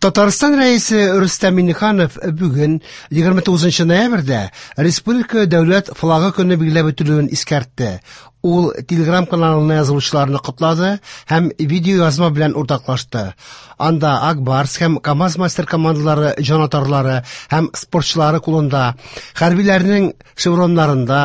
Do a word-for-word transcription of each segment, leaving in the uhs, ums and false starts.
Татарстан Рәисе Рөстәм Миңнеханов бүген егерме тугызынчы ноябрьдә Республика дәүләт флагы көне билгеләп үтелүен искәртте. Ул Телеграм каналына язылучыларны котлады һәм видеоязма белән уртаклашты. Анда Ак Барс һәм КАМАЗ мастер командалары җанатарлары һәм спортчылары кулында, хәрбиләрнең шевроннарында,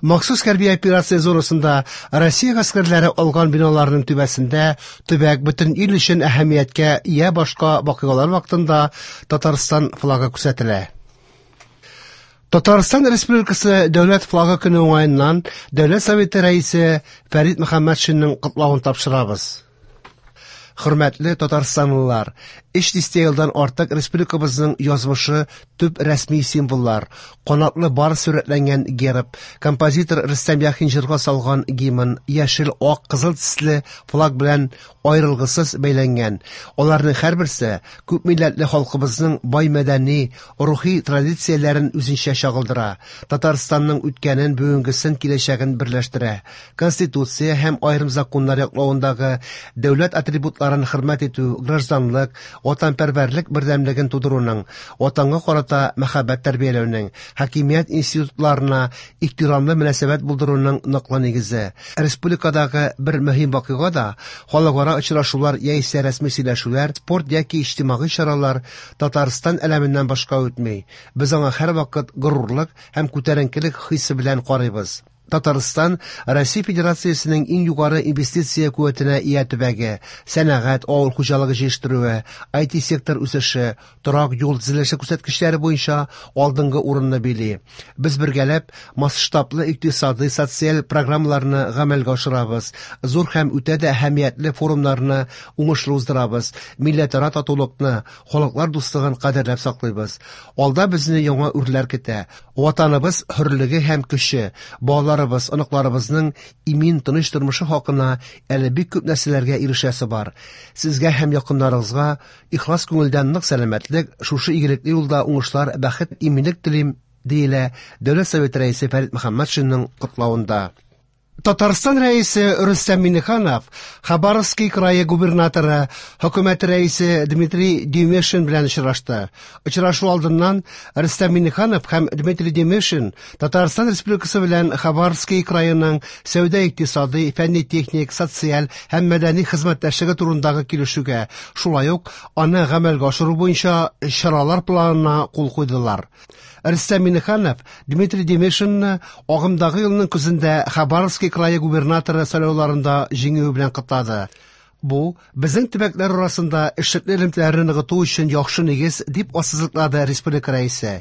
махсус хәрби операция зонасында Россия гаскәрләре алган биналарның түбәсендә төбәк бөтен ил өчен әһәмияткә ия башка вакыйгалар вакытында Татарстан флагы күрсәтелә. Татарстан Республикасы дәүләт флагы көне уңаеннан Дәүләт Советы рәисе Фәрит Мөхәммәтшинның котлавын тапшырабыз. Хөрмәтле татарстанлылар, өч дистә елдан артык республикабызның язмышы төп рәсми символлар, канатлы барс сурәтләнгән герб, композитор Рөстәм Яхин җырга салган гимн, яшел, ак, кызыл төсле флаг белән аерылгысыз бәйләнгән. Аларның һәрберсе күп милләтле халкыбызның бай мәдәни, рухи традицияләрен үзенчә чагылдыра. Татарстанның үткәнен, бүгенгесен, киләчәген берләштерә. Конституция һәм аерым законнар яклавындагы дәүләт атрибутларын хөрмәт итү, гражданлык, ватанпәрвәрлек бердәмлеген тудыруның, ватанга карата мәхәббәт тәрбияләүнең, хакимият институтларына ихтирамлы мөнәсәбәт булдыруның ныклы нигезе. Республикадагы бер мөһим вакыйга да халыкара очрашулар яисә рәсми сөйләшүләр, спорт яки иҗтимагый чаралар Татарстан әләменнән башка үтми. Без аңа һәрвакыт горурлык һәм күтәренкелек хисе белән карыйбыз. Татарстан Россия Федерациясенең иң югары инвестиция куәтенә ия төбәге, сәнәгать, авыл хуҗалыгы җитештерүе, ай ти сектор үсеше, торак юл төзелеше күрсәткечләре буенча алдынгы урынны били. Без бергәләп масштаблы икътисадый, социаль программаларны гамәлгә ашырабыз, зур һәм үтә дә әһәмиятле форумнарны уңышлы уздырабыз, милләтара татулыкны, халыклар дуслыгын кадерләп саклыйбыз. Алда безне яңа үрләр көтә. Ватаныбыз хөрлеге һәм көче, балаларыбыз, оныкларыбызның имин, тыныч тормышы хакына әле бик күп нәрсәләргә ирешәсе бар. Сезгә һәм якыннарыгызга ихлас күңелдән нык сәламәтлек, шушы игелекле юлда уңышлар, бәхет, иминлек телим, диелә Дәүләт Советы рәисе Фәрит Мөхәммәтшинның котлавында. Татарстан рәисе Рөстәм Миңнеханов Хабаровский крае губернаторы, хөкүмәт рәисе Дмитрий Демешин белән очрашты. Очрашу алдыннан Рөстәм Миңнеханов һәм Дмитрий Демешин Татарстан Республикасы белән Хабаровский краеның сәүдә-икътисадый, фәнни-техник, социаль һәм мәдәни хезмәттәшлеге турындагы килешүгә, шулай ук аны гамәлгә ашыру буенча чаралар планына кул куйдылар. Рөстәм Миңнеханов Дмитрий Демешинны агымдагы елның көзендә Хабаровский крае губернаторы сайлауларында җиңүе белән котлады. Бу безнең төбәкләр арасында эшлекле элемтәләрне ныгыту өчен яхшы нигез, дип ассызыклады республика рәисе.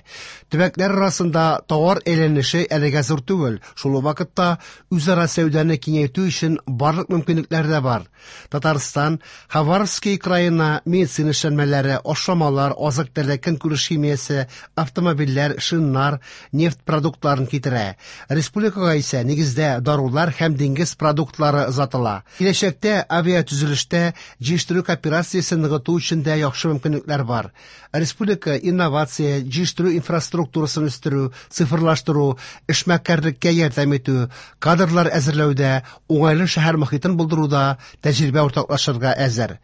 Төбәкләр арасында товар әйләнеше әлегә зур түгел, шул ук вакытта үзара сәүдәне киңәйтү өчен барлык мөмкинлекләр дә бар. Татарстан Хабаровский краена медицина эшләнмәләре, ашламалар, азык-төлек, көнкүреш химиясе, автомобильләр, шиннар, нефть продуктларын китерә. Республикага исә нигездә дарулар һәм диңгез продуктлары озатыла. Киләчәктә авиатөзелештә җитештерү кооперациясен ныгыту өчен дә яхшы мөмкинлекләр бар. Республика инновация, җитештерү инфраструктурасын үстерү, цифрлаштыру, эшмәкәрлеккә ярдәм итү, кадрлар әзерләүдә, уңайлы шәһәр мохитен булдыруда тәҗрибә уртаклашырга әзер.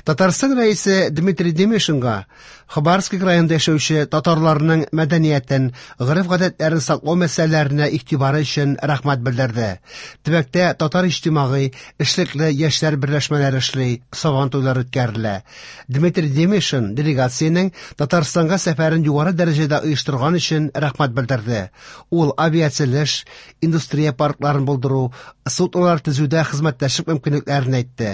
Татарстан рәисе Дмитрий Демешинга Хабаровский краенда яшәүче татарларның мәдәниятен, гореф-гадәтләрен саклау мәсьәләләренә игътибары өчен рәхмәт белдерде. Төбәктә татар иҗтимагый, эшлекле яшьләр берләшмәләре эшли, сабан туйлары үткәрелә. Дмитрий Демешин делегациянең Татарстанга сәфәрен югары дәрәҗәдә оештырган өчен рәхмәт белдерде. Ул авиацелеш, индустрия паркларын булдыру, суднолар төзүдә хезмәттәшлек мөмкинлекләрен әйтте.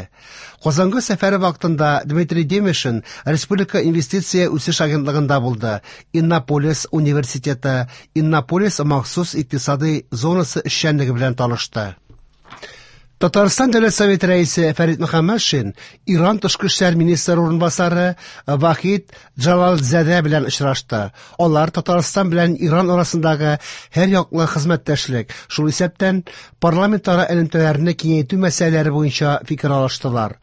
Казанга сәфәре вакытында Дмитрий Демешин Республика инвестиция үсеш агентлыгында булды. Иннополис университеты, Иннополис махсус икътисадый зонасы эшчәнлеге белән танышты. Татарстан Дәүләт Советы рәисе Фәрит Мөхәммәтшин Иран тышкы эшләр министры урынбасары Вахид Джалалзадә белән очрашты. Алар Татарстан белән Иран арасындагы һәр яклы хезмәттәшлек, шул исәптән парламентара элемтәләрне киңәйтү мәсьәләләре буенча фикер алыштылар.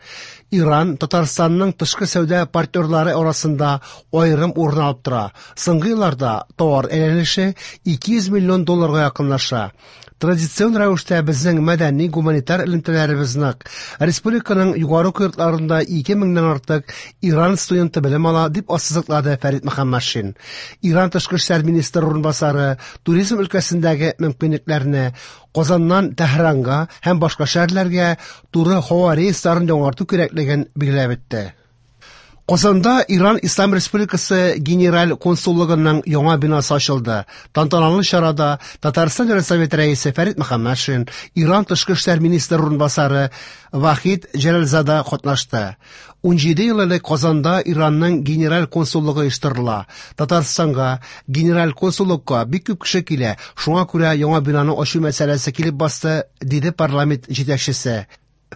Иран Татарстанның тышкы сәүдә партнерлары арасында аерым урын алып тора. Соңгы елларда товар әйләнеше ике йөз миллион долларга якынлаша. Традицион рәвештә безнең мәдәни гуманитар элемтәләребез нык. Республиканың югары уку йортларында ике меңнән артык Иран студенты белем ала, дип ассызыклады Фәрит Мөхәммәтшин. Иран тышкы эшләр министры урынбасары туризм өлкәсендәге мөмкинлекләрне, Казаннан Тәһранга һәм башка шәһәрләргә туры һава рейсларын яңарту кирәклеген билгеләп үтте. Казанда Иран Ислам Республикасы Генераль консуллыгының яңа бинасы ачылды. Тантаналы чарада Татарстан Дәүләт Советы рәисе Фәрит Мөхәммәтшин, Иран тышкы эшләр министры урынбасары Вахид Җәләлзада катнашты. ун җиде ел элек Казанда Иранның генераль консуллыгы оештырыла. Татарстанга генераль консуллыкка бик күп кеше килә, шуңа күрә яңа бинаны ачу мәсьәләсе килеп басты, диде парламент җитәкчесе.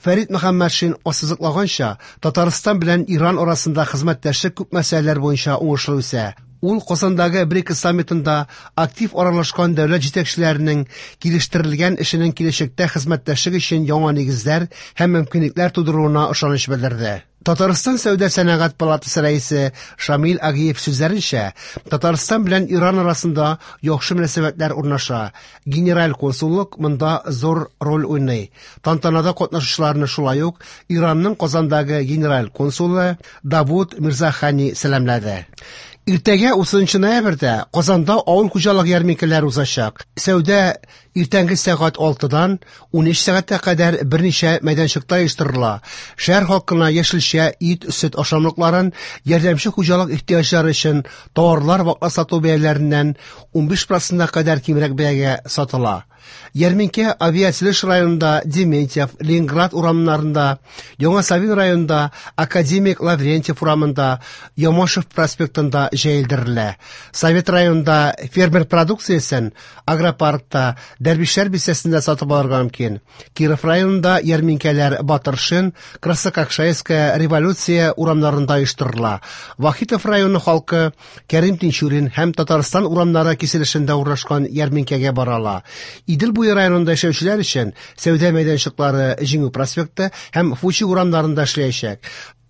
Фәрит Мөхәммәтшин ассызыклаганча, Татарстан белән Иран арасында хезмәттәшлек күп мәсьәләләр буенча уңышлы үсә. Ул Казандагы БРИКС саммитында актив аралашкан дәүләт җитәкчеләренең килештерелгән эшенең киләчәктә хезмәттәшлек өчен яңа нигезләр һәм мөмкинлекләр тудыруына ышаныч белдерде. Татарстан Сәүдә сәнәгать палатасы рәисе Шамил Агиев сүзләренчә, Татарстан белән Иран арасында яхшы мөнәсәбәтләр урнаша. Генераль консуллык монда зур роль уйный. Тантанада катнашучыларны шулай ук Иранның Казандагы генераль консулы Давуд Мирзахани сәламләде. Иртәгә утызынчы ноябрьдә Казанда авыл хуҗалык ярминкәләре узачак. Сәүдә иртәнге сәгать алтыдан ун өч сәгатькә кадәр берничә мәйданчыкта оештырыла. Шәһәр халкына яшелчә, ит, сөт ашамлыкларын, ярдәмче хуҗалык ихтыяҗлары өчен товарлар ваклап сату бәяләреннән ун биш процентка кадәр кимрәк бәягә сатыла. Ярминкә Авиатөзелеш районында Дементьев, Ленинград урамнарында, Яңа Савин районында Академик Лаврентьев урамында, Ямашев проспектында җәелдерелә. Совет районында фермер продукциясен агропаркта, Дәрвишләр бистәсендә сатып алырга мөмкин. Киров районында ярминкәләр Батыршин, Краснококшайская, Революция урамнарында оештырыла. Вахитов районы халкы Кәрим Тинчурин һәм Татарстан урамнары киселешендә урнашкан ярминкәгә бара ала. Идел буе районында яшәүчеләр өчен сәүдә мәйданчыклары Җиңү проспекты һәм Фучик урамнарында эшләячәк.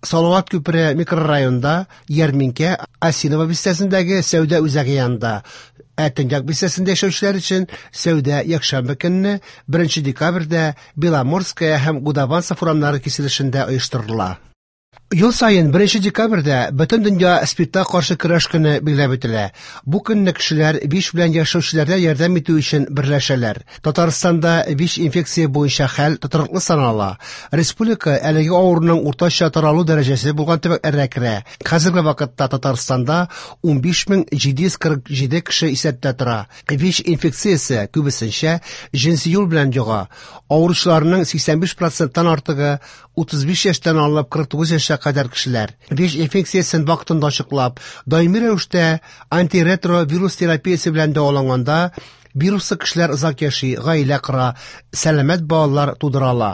Салават күпере микрорайонда ярминкә Осиново бистәсендәге сәүдә үзәге янында. Ә Төньяк бистәсендә яшәүчеләр өчен сәүдә якшәмбе көнне беренче декабрьдә Беломорская һәм Гудованцев урамнары киселешендә оештырыла. Ел саен беренче декабрьдә бөтен дөнья СПИДка каршы көрәш көне билгеләп үтелә. Бу көнне кешеләр ВИЧ белән яшәүчеләргә ярдәм итү өчен берләшәләр. Татарстанда ВИЧ инфекция буенча хәл тотрыклы санала. Республика әлеге авыруның уртача таралу дәрәҗәсе булган төбәкләргә керә. Хәзерге вакытта Татарстанда ун биш мең җиде йөз кырык җиде кеше исәптә тора. ВИЧ инфекциясе күбесенчә җенси юл белән йога. Авыручыларның сиксән биш проценттан артыгы утыз биш яшьтән алып кырык тугыз яшькә кадәр кешеләр. ВИЧ инфекциясен вакытында ачыклап, даими рәвештә антиретровирус терапиясе белән дәваланганда вируслы кешеләр озак яши, гаилә кора, сәламәт балалар тудыра ала.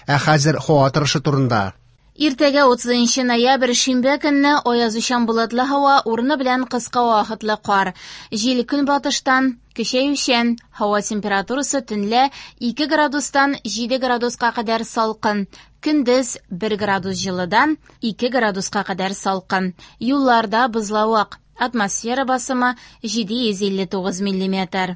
Ә хәзер һава торышы турында. Иртәгә утызынчы ноябрь шимбә көнне аязучан болытлы һава, урыны белән кыска вакытлы кар. Җил көнбатыштан көчәючән, һава температурасы төнлә ике градустан җиде градуска кадәр салкын, көндез бер градус җылыдан ике градуска кадәр салкын. Юлларда бозлавык, атмосфера басымы җиде йөз илле тугыз миллиметр.